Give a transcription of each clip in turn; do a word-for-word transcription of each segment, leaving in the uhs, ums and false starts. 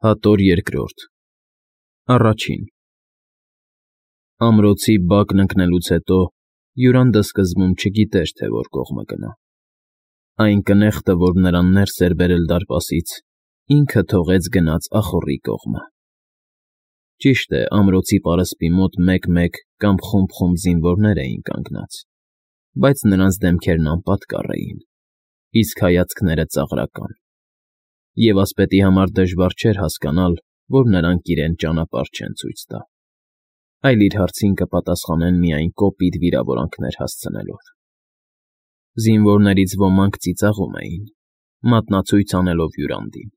Հատոր երկրորդ Առաջին Ամրոցի բակն ընկնելուց հետո Յուրանդը սկզբում չգիտեր, թե որ կողմը գնա. այն կնեղտը, որ նրան ներս էր բերել դարպասից, ինքը թողեց գնաց ախոռի կողմը։ Ճիշտ է, ամրոցի պարսպի մոտ մեկ֊մեկ կամ խումբ֊խումբ զինվորներ էին կանգնած, բայց նրանց դեմքերն անպատկառ էին, իսկ հայացքները ծաղրական, և ասպետի համար դժվար չէր հասկանալ, որ նրանք իրեն ճանապարհ չեն ցույց տա, այլ իր հարցին կպատասխանեն միայն կոպիտ վիրավորանքներ հասցնելով։ Զինվորներից ոմանք ծիծաղում էին, մատնացույց անելով Յուրանդին,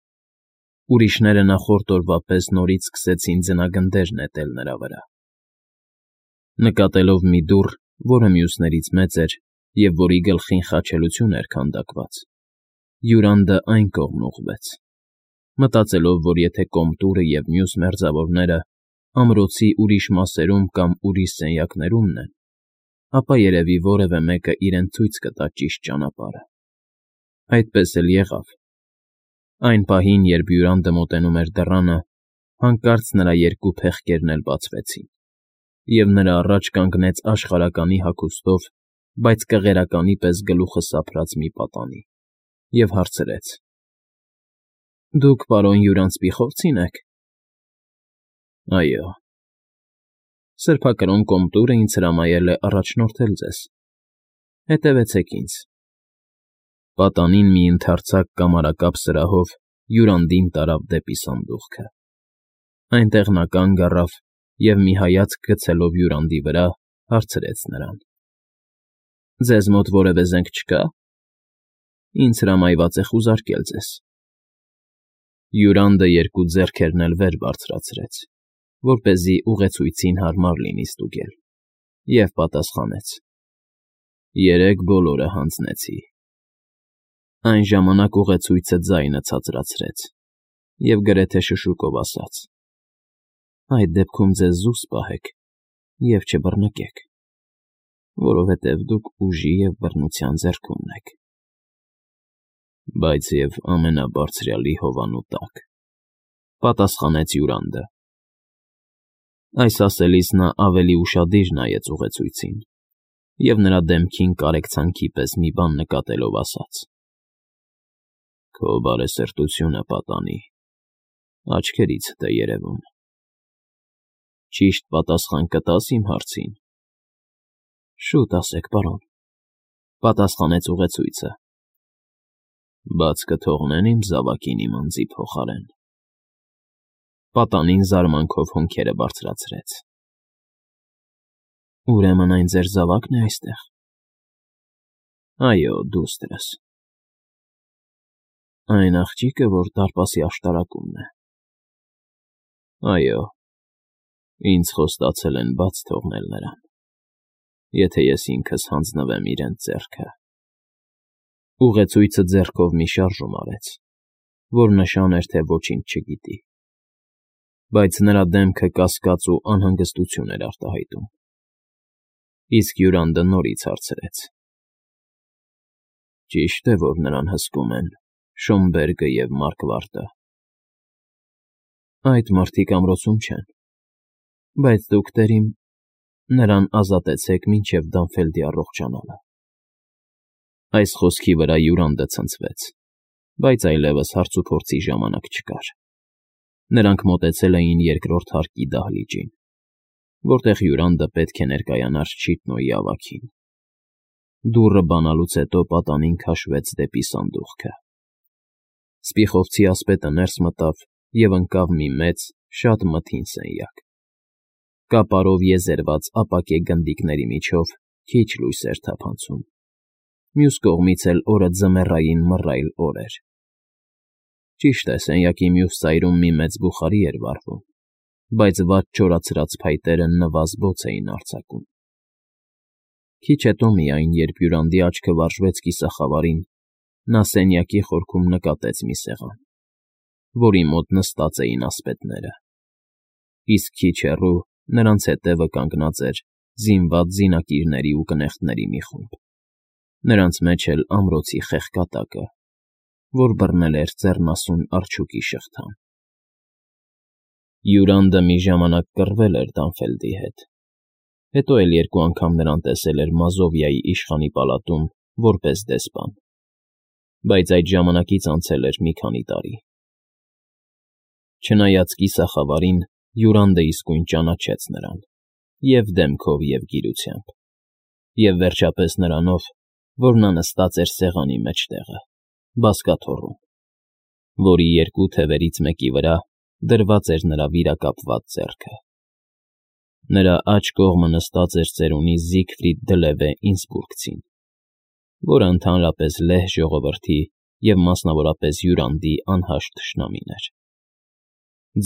ուրիշները նախորդ օրվա պես նորից սկսեցին ձնագնդեր նետել նրա վրա։ Նկատելով մի դուռ, որը մյուսներից մեծ էր և որի գլխին խաչելություն էր քանդակված, Յուրանդը այն կողմն ուղղվեց, մտածելով, որ եթե Կոմտուրը և մյուս մերձավորները ամրոցի ուրիշ մասերում կամ ուրիշ սենյակներումն են, ապա երևի որևէ մեկը իրեն ցույց կտա ճիշտ ճանապարհը։ Այդպես էլ եղավ։ Այն պահին, երբ Յուրանդը մոտենում էր դռանը, հանկարծ նրա երկու փեղկերն էլ բացվեցին, և նրա առաջ կանգնեց աշխարհականի հագուստով, բայց կղերականի պես գլուխը սափրած մի պատանի, և հարցրեց. «Դուք պարոն Յուրան Սպիխովցի՞ն եք»։ «Այո»։ Սրբակրոն Կոմտուրը ինձ հրամայել է առաջնորդել ձեզ։ Հետևեցեք ինձ։ Պատանին մի ընդարձակ կամարակապ սրահով Յուրանդին տարավ դեպի սանդուղքը։ Այնտեղ նա կանգ առավ և, մի հայացք գցելով Յուրանդի վրա, հարցրեց նրան. «Ձեզ մոտ որևէ զենք չկա»։ «Ինձ հրամայված է խուզարկել ձեզ»։ Յուրանդը երկու ձեռքերն էլ վեր բարձրացրեց, որպեսզի ուղեցույցին հարմար լինի ստուգել, և պատասխանեց. «Երեկ բոլորը հանձնեցի»։ Այն ժամանակ ուղեցույցը ձայնը ցածրացրեց և գրեթե շշուկով ասաց. «Այդ դեպքում ձեզ զուսպ պահեք և չբռնկեք, որովհետև դուք ուժի և բռնության ձեռքումն եք»։ «Բայց և ամենաբարձրյալի հովանու տակ», պատասխանեց Յուրանդը։ Այս ասելիս նա ավելի ուշադիր նայեց ուղեցույցին և նրա դեմքին կարեկցանքի պես մի բան նկատելով ասաց. «Քո բարեսրտությունը, պատանի, աչքերիցդ է երևում։ Ճիշտ պատասխան կտա՞ս իմ հարցին»։ «Շուտ ասեք, պարոն», պատասխանեց ուղեցույցը։ «Բաց կթողնե՞ն իմ զավակին իմ անձի փոխարեն»։ Պատանին զարմանքով հոնքերը բարձրացրեց։ «Ուրեմն այն ձեր զավա՞կն է այստեղ»։ «Այո, դուստրս»։ «Այն աղջիկը, որ դարպասի աշտարակումն է»։ «Այո, ինձ խոստացել են բաց թողնել նրան, եթե ես ինքս հանձնվեմ իրենց ձեռքը»։ Ուղեցույցը ձեռքով մի շարժում արեց, որ նշան էր, թե ոչինչ չգիտի, բայց նրա դեմքը կասկած ու անհանգստություն էր արտահայտում։ Իսկ Յուրանդը նորից հարցրեց. «Ճիշտ է, որ նրան հսկում են Շոմբերգը և Մարկվարտը»։ «Այդ մարդիկ ամրոցում չեն, բայց դուք, տերիմ, նրան ազատեցեք մինչև Դանֆելդի առողջանալը»։ Այս խոսքի վրա Յուրանդը ցնցվեց, բայց այլևս հարցուփորձի ժամանակ չկար։ Նրանք մոտեցել էին երկրորդ հարկի դահլիճին, որտեղ Յուրանդը պետք է ներկայանար Չիթնոյի ավագին։ Դուռը բանալուց հետո պատանին քաշվեց դեպի սանդուղքը։ Սպիխովցի ասպետը ներս մտավ և ընկավ մի մեծ, շատ մթին սենյակ։ Կապարով եզերված ապակե գնդիկների միջով քիչ լույս էր թափանցում, մյուս կողմից էլ օրը ձմեռային մռայլ օր էր։ Ճիշտ է, սենյակի մյուս ծայրում մի մեծ բուխարի էր վառվում, բայց վատ չորացրած փայտերը նվազ֊բոց էին արձակում։ Քիչ հետո միայն, երբ Յուրանդի աչքը վարժվեց կիսախավարին, նա սենյակի խորքում նկատեց մի սեղան, որի մոտ նստած էին ասպետները, իսկ քիչ հեռու նրանց հետևը կանգնած էր զինված զինակիրների ու կնեղտների մի խումբ, նրանց մեջ էլ ամրոցի խեղկատակը, որ բռնել էր ձեռնասուն արջուկի շղթան։ Յուրանդը մի ժամանակ կռվել էր Դանֆելդի հետ, հետո էլ երկու անգամ նրան տեսել էր Մազովիայի իշխանի պալատում որպես դեսպան, բայց այդ ժամանակից անցել էր մի քանի տարի։ Չնայած կիսախավարին, Յուրանդը իսկույն ճանաչեց նրան, և դեմքով, և գիրությամբ, և վերջապես նրանով, որ նա նստած էր սեղանի մեջտեղը, բազկաթոռում, որի երկու թևերից մեկի վրա դրված էր նրա վիրակապված ձեռքը։ Նրա աջ կողմը նստած էր ծերունի Զիգֆրիդ դլևե ինսբուրգցին, որը ընդհանրապես լեհ ժողովրդի և մասնավորապես Յուրանդի անհաշտ թշնամին էր։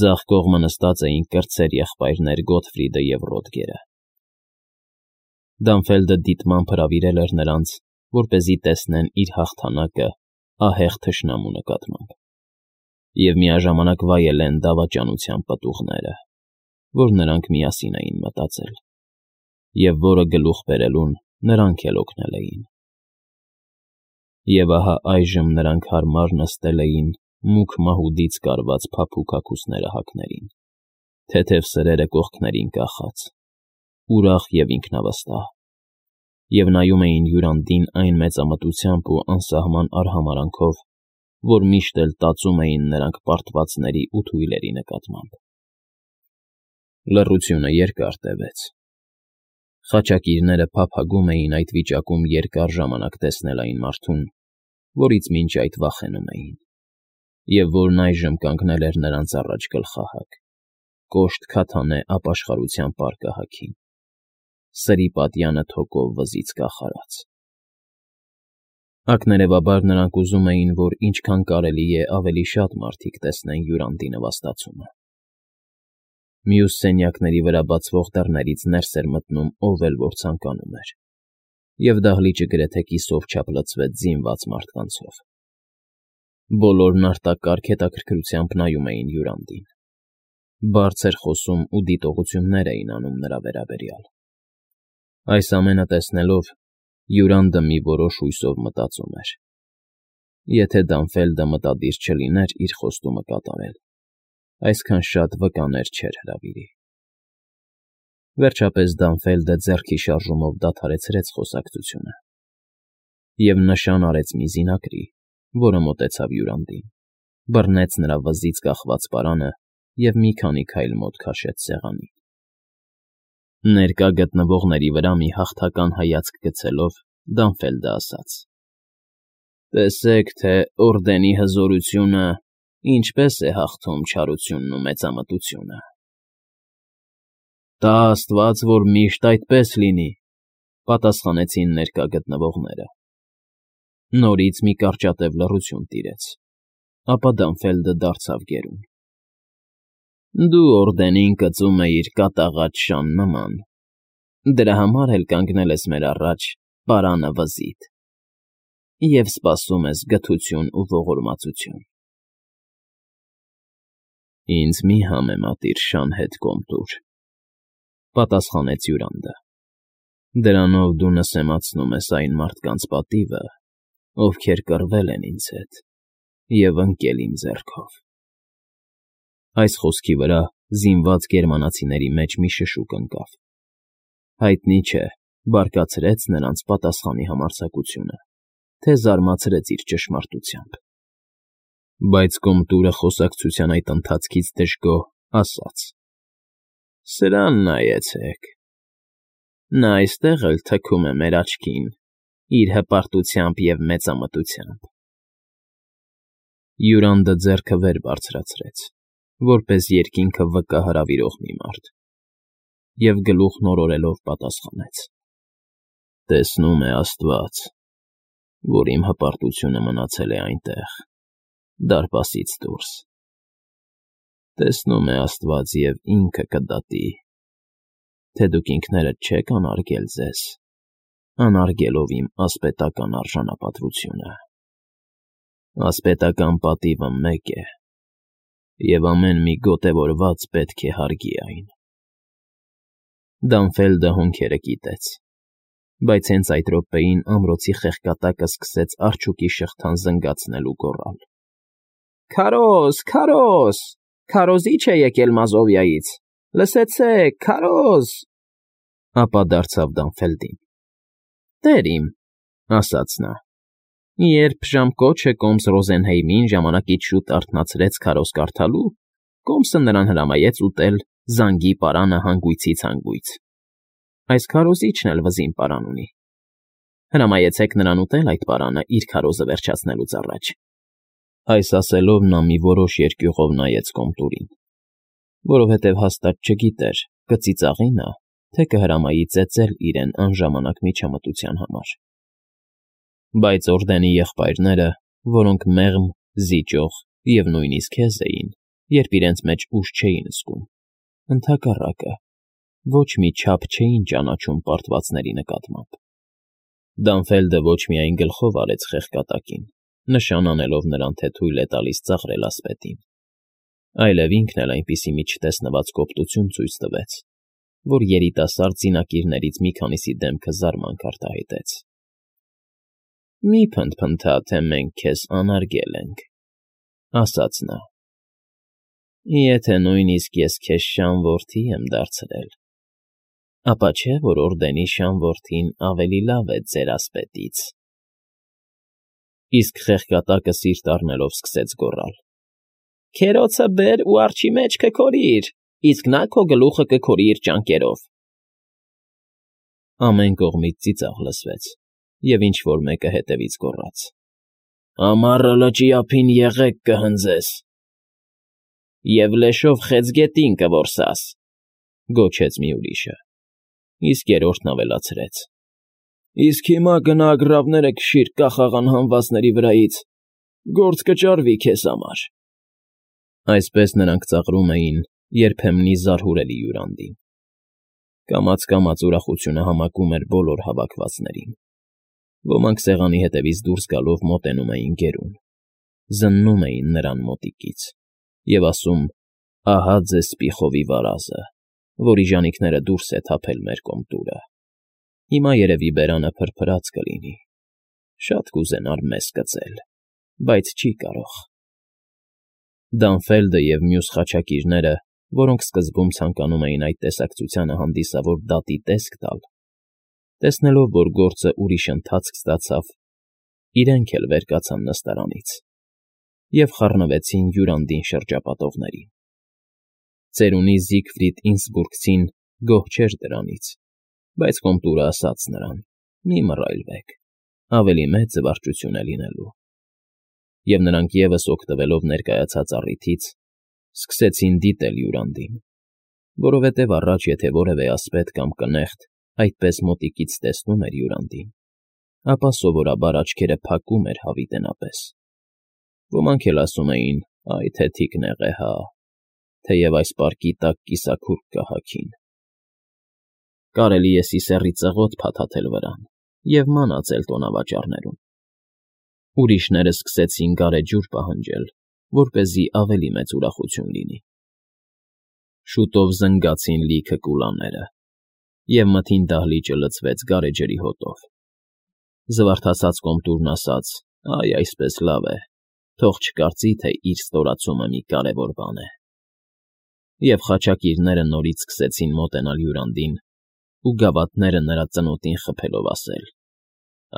Ձախ կողմը նստած էին կրտսեր եղբայրներ Գոթֆրիդը և Ռոդգերը։ Դանֆելդը դիտմամբ հրավիրել էր նրանց, որպեսզի տեսնեն իր հաղթանակը ահեղ թշնամու նկատմամբ, և միաժամանակ վայելեն դավաճանության պտուղները, որ նրանք միասին էին մտածել, և որը գլուխ բերելուն նրանք էլ օգնել էին։ Եվ ահա այժմ նրանք հարմար նստել էին մուգ մահուդից կարված փափուկ հագուստները հագներին, թեթև սրերը կողքներին կախած, ուրախ և ինքնավստահ, և նայում էին Յուրանդին այն մեծամտությամբ ու անսահման արհամարհանքով, որ միշտ էլ տածում էին նրանք պարտվածների ու թույլերի նկատմամբ։ Լռությունը երկար տևեց։ Խաչակիրները փափագում էին այդ վիճակում երկար ժամանակ տեսնել այն մարդուն, որից մինչ այդ վախենում էին, և որն այժմ կանգնել էր նրանց առաջ գլխահակ, կոշտ քաթանե ապաշխարության պարկահաքին, սրի պատյանը թոկով վզից կախարած։ Ակներևաբար նրանք ուզում էին, որ ինչքան կարելի է ավելի շատ մարդիկ տեսնեն Յուրանդի նվաստացումը։ Մյուս սենյակների վրա բացվող դռներից ներս էր մտնում ով էլ որ ցանկանում էր, և դահլիճը գրեթե կիսով չափ լցվեց զինված մարդկանցով։ Բոլորն արտակարգ հետաքրքրությամբ նայում էին Յուրանդին, բարձր խոսում ու դիտողություններ էին անում նրա վերաբերյալ։ Այս ամենը տեսնելով, Յուրանդը մի որոշ հույսով մտածում էր. եթե Դանֆելդը մտադիր չլիներ իր խոստումը կատարել, այսքան շատ վկաներ չէր հրավիրի։ Վերջապես Դանֆելդը ձեռքի շարժումով դադարեցրեց խոսակցությունը և նշան արեց մի զինակրի, որը մոտեցավ Յուրանդին, բռնեց նրա վզից կախված պարանը և մի քանի քայլ մոտ քաշեց սեղանին։ Ներկա գտնվողների վրա մի հաղթական հայացք գցելով, Դանֆելդը ասաց. «Տեսեք, թե օրդենի հզորությունը ինչպես է հաղթում չարությունն ու մեծամտությունը»։ «Տա աստված, որ միշտ այդպես լինի», պատասխանեցին ներկա գտնվողները։ Նորից մի կարճատև լռություն տիրեց, ապա Դանֆելդը դարձավ գերուն. «Դու օրդենին կծում էիր կատաղած շան նման, դրա համար էլ կանգնել ես մեր առաջ պարանը վզիդ և սպասում ես գթություն ու ողորմածություն»։ «Ինձ մի համեմատիր շան հետ, Կոմտուր», պատասխանեց Յուրանդը, «դրանով դու նսեմացնում ես այն մարդկանց պատիվը, ովքեր կռվել են ինձ հետ և ընկել իմ ձեռքով»։ Այս խոսքի վրա զինված գերմանացիների մեջ մի շշուկ ընկավ։ Հայտնի չէ, բարկացրեց նրանց պատասխանի համարձակությունը, թե զարմացրեց իր ճշմարտությամբ։ Բայց Կոմտուրը խոսակցության այդ ընթացքից դժգոհ ասաց. «Սրան նայեցեք, նա այստեղ էլ թքում է մեր աչքին իր հպարտությամբ և մեծամտությամբ»։ Յուրանդը ձեռքը վեր բարձրացրեց, որպես երկինքը վկա հրավիրող մի մարդ, և գլուխն օրորելով պատասխանեց. «Տեսնում է աստված, որ իմ հպարտությունը մնացել է այնտեղ, դարպասից դուրս։ Տեսնում է աստված և ինքը կդատի, թե դուք ինքներդ չեք անարգել ձեզ, անարգելով իմ ասպետական արժանապատվությունը։ Ասպետական պատիվը մեկ է, և ամեն մի գոտևորված պետք է հարգի այն»։ Դանֆելդը հոնքերը կիտեց, բայց հենց այդ րոպեին ամրոցի խեղկատակը սկսեց արջուկի շղթան զնգացնել ու գոռալ. «Քարոզ, քարոզ, Քարոզիչ է եկել Մազովիայից, լսեցե՛ք, քարոզ… Ապա դարձավ Դանֆելդին. Տեր իմ, ասաց նա, երբ ժամկոչը կոմս Ռոզենհեյմին ժամանակից շուտ արթնացրեց քարոզ կարդալու, կոմսը նրան հրամայեց ուտել զանգի պարանը հանգույցից հանգույց. այս քարոզիչն էլ վզին պարան ունի, հրամայեցեք նրան ուտել այդ պարանը իր քարոզը վերջացնելուց առաջ… Այս ասելով նա մի որոշ երկյուղով նայեց Կոմտուրին, որովհետև հաստատ չգիտեր կծիծաղի նա, թե կհրամայի ծեծել իրեն անժամանակ միջամտության համար… Բայց օրդենի եղբայրները, որոնք մեղմ, զիջող և նույնիսկ հեզ էին, երբ իրենց մեջ ուժ չէին զգում, ընդհակառակը, ոչ մի չափ չէին ճանաչում պարտվածների նկատմամբ… Դանֆելդը ոչ միայն գլխով արեց խեղկատակին, նշան անելով նրան, թե թույլ է տալիս ծաղրել ասպետին, այլև ինքն էլ այնպիսի մի չտեսնված կոպտություն ցույց տվեց, որ երիտասարդ զինակիրներից մի քանիսի դեմքը զարմանք արտահայտեց։ ֊ Մի՛ փնթփնթա, թե մենք քեզ անարգել ենք,֊ ասաց նա։ Եթե նույնիսկ ես քեզ շան որդի եմ դարձրել, ապա չէ՞ որ օրդենի շան որդին ավելի լավ է ձեր ասպետից… Իսկ խեղկատակը սիրտ առնելով սկսեց գոռալ. Քերոցը բեր ու արջի մեջ քքորիր, իսկ նա քո գլուխը կքորի իր ճանկերով… Ամեն կողմից ծիծաղ լսվեց, և ինչ֊որ մեկը հետևից գոռաց. Ամառը լճի ափին եղեգ կհնձես… Եվ լեշով խեցգետին կորսաս, գոչեց մի ուրիշը, իսկ երրորդն ավելացրեց. Իսկ հիմա գնա ագռավները քշիր կախաղան հանվածների վրայից, գործ կճարվի քեզ համար… Այսպես նրանք ծաղրում էին երբեմնի զարհուրելի յուրանդին. կամաց֊կամաց ուրախությունը համակում էր բոլոր հավաքվածներին, ոմանք սեղանի հետևից դուրս գալով մոտենում էին գերուն, զննում էին նրան մոտիկից և ասում. ահա ձեզ Սպիխովի վարազը, որի ժանիքները դուրս է թափել մեր Կոմտուրը, հիմա երևի բերանը փրփրած կլինի, շատ կուզենար մեզ կծել, բայց չի կարող… Դանֆելդը և մյուս խաչակիրները, որոնք սկզբում ցանկանում էին այդ տեսակցությանը հանդիսավոր դատի տեսք տալ, տեսնելով, որ գործը ուրիշ ընթացք ստացավ, իրենք էլ վեր կացան նստարանից և խառնվեցին յուրանդին շրջապատողներին… Ծերունի Զիգֆրիդ Ինսբուրգցին գոհ չէր դրանից, բայց Կոմտուրը ասաց նրան. Մի մռայլվեք, ավելի մեծ զվարճություն է լինելու… Եվ նրանք ևս օգտվելով ներկայացած առիթից, սկսեցին դիտել յուրանդին, որովհետև առաջ եթե որևէ ասպետ կամ կնեղտ այդպես մոտիկից տեսնում էր յուրանդին, ապա սովորաբար աչքերը փակում էր հավիտենապես… Ոմանք էլ ասում էին. «Այ թե թիկնեղ է, հա՜», թեև այս պարկի տակ կիսաքուրք կա հագին… Կարելի է սիսեռի ծղոտ փաթաթել վրան և մանածել տոնավաճառներում… Ուրիշները սկսեցին գարեջուր պահանջել, որպեսզի ավելի մեծ ուրախություն լինի… Շուտով զնգացին լիքը կուլաները, և մթին դահլիճը լցվեց գարեջրի հոտով… Զվարթացած Կոմտուրն ասաց. «Այ այսպես լավ է, թող չկարծի, թե իր ստորացումը մի կարևոր բան է…» Եվ խաչակիրները նորից սկսեցին մոտենալ յուրանդին ու գավաթները նրա ծնոտին խփելով ասել.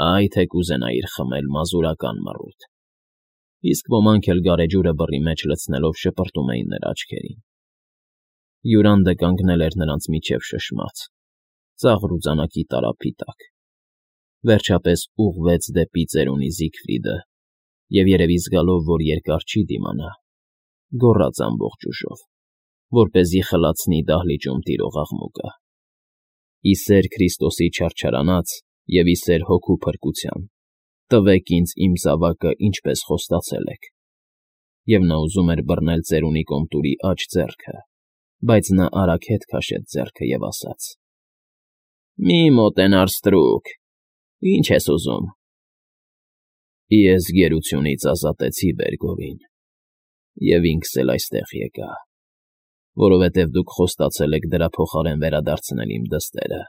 «Այ թե կուզենայիր խմել մազուրական մռութ…» Իսկ ոմանք էլ գարեջուրը բռի մեջ լցնելով շպրտում էին նրա աչքերին… Յուրանդը կանգնել էր նրանց միջև շշմած, ծաղր ու ձանակի տարափի տակ… Վերջապես ուղղվեց դեպի ծերունի Զիգֆրիդը և, երևի զգալով, որ երկար չի դիմանա, գոռաց ամբողջ ուժով, որպեսզի խլացնի դահլիճում տիրող աղմուկը. «Ի սեր Քրիստոսի չարչարանած և ի սեր Հոգու փրկության, տվեք ինձ իմ զավակը, ինչպես խոստացել եք»… Եվ նա ուզում էր բռնել ծերունի Կոմտուրի աջ ձեռքը, բայց նա արագ հետ քաշեց ձեռքը և ասաց. «Մի մոտենար ստրուկ, ի՞նչ ես ուզում»… Ես գերությունից ազատեցի Բերգովին, և ինքս էլ այստեղ եկա, որովհետև դուք խոստացել եք դրա փոխարեն վերադարձնել իմ դստերը,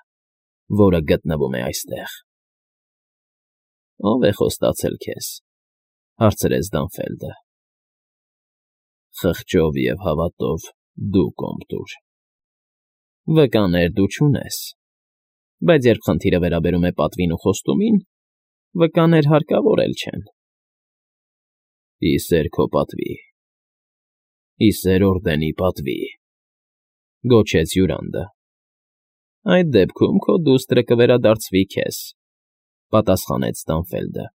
որը գտնվում է այստեղ… ֊ Ո՞վ է խոստացել քեզ,֊ հարցրեց Դանֆելդը։ Խղճով և հավատով դու կոմբ տուր։ Վկաներ դու չունես, բայց երբ խնդիրը վերաբերում է պատվին ու խոստումին, վկաներ հարկավոր էլ չեն։ ֊ Ի սեր քո պատվի, ի սեր օրդենի պատվի, ֊ գոչեց հյուրանդը։ ֊ Այդ դեպքում քո դուստրը կվերադարձվի քեզ, ֊ պատասխանեց Տանֆելդը։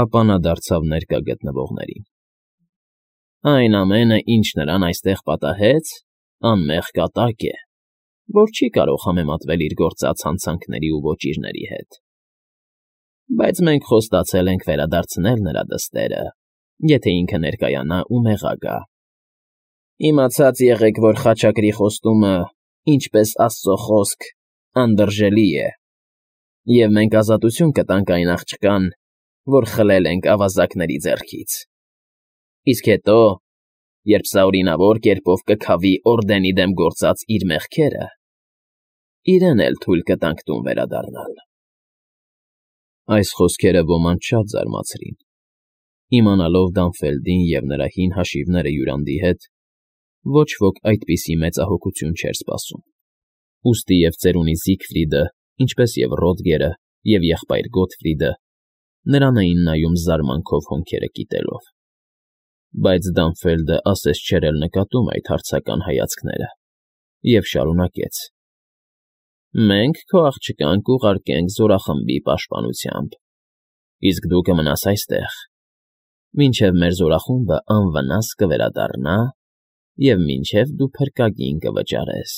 Ապա նա դարձավ ներկա գտնվողներին. ֊ Այն ամենը, ինչ նրան այստեղ պատահեց, անմեղ կատակ է, որ չի կարող համեմատվել իր գործած հանցանքների ու ոճիրների հետ, բայց մենք խոստացել ենք վերադարձնել նրա դստերը, եթե ինքը ներկայանա ու մեղա գա։ Իմացած եղեք, որ խաչակրի խոստումը, ինչպես Աստծո խոսք, անդրժելի է, և մենք ազատություն կտանք այն աղջկան, որ խլել ենք ավազակների ձեռքից։ Իսկ հետո, երբ սա օրինավոր կերպով կքավի օրդենի դեմ գործած իր մեղքերը, իրեն էլ թույլ կտանք տուն վերադառնալ։ Այս խոսքերը ոմանց շատ զարմացրին։ Իմանալով Դանֆելդին և նրա հին հաշիվները հյուրանդի հետ, ոչ ոք այդպիսի մեծահոգություն չէր սպասում, ուստի և ծերունի Զիգֆրիդը, ինչպես և Ռոդգերը և եղբայր Գոտֆրիդը նրան էին նայում զարմանքով հոնքերը կիտելով։ Բայց Դանֆելդը ասես չէր էլ նկատում այդ հարցական հայացքները և շարունակեց. ֊ Մենք քո աղջկան կուղարկենք զորախմբի պաշտպանությամբ, իսկ դու կմնաս այստեղ, մինչև մեր զորախումբը անվնաս կվերադառնա և մինչև դու փրկագին կվճարես։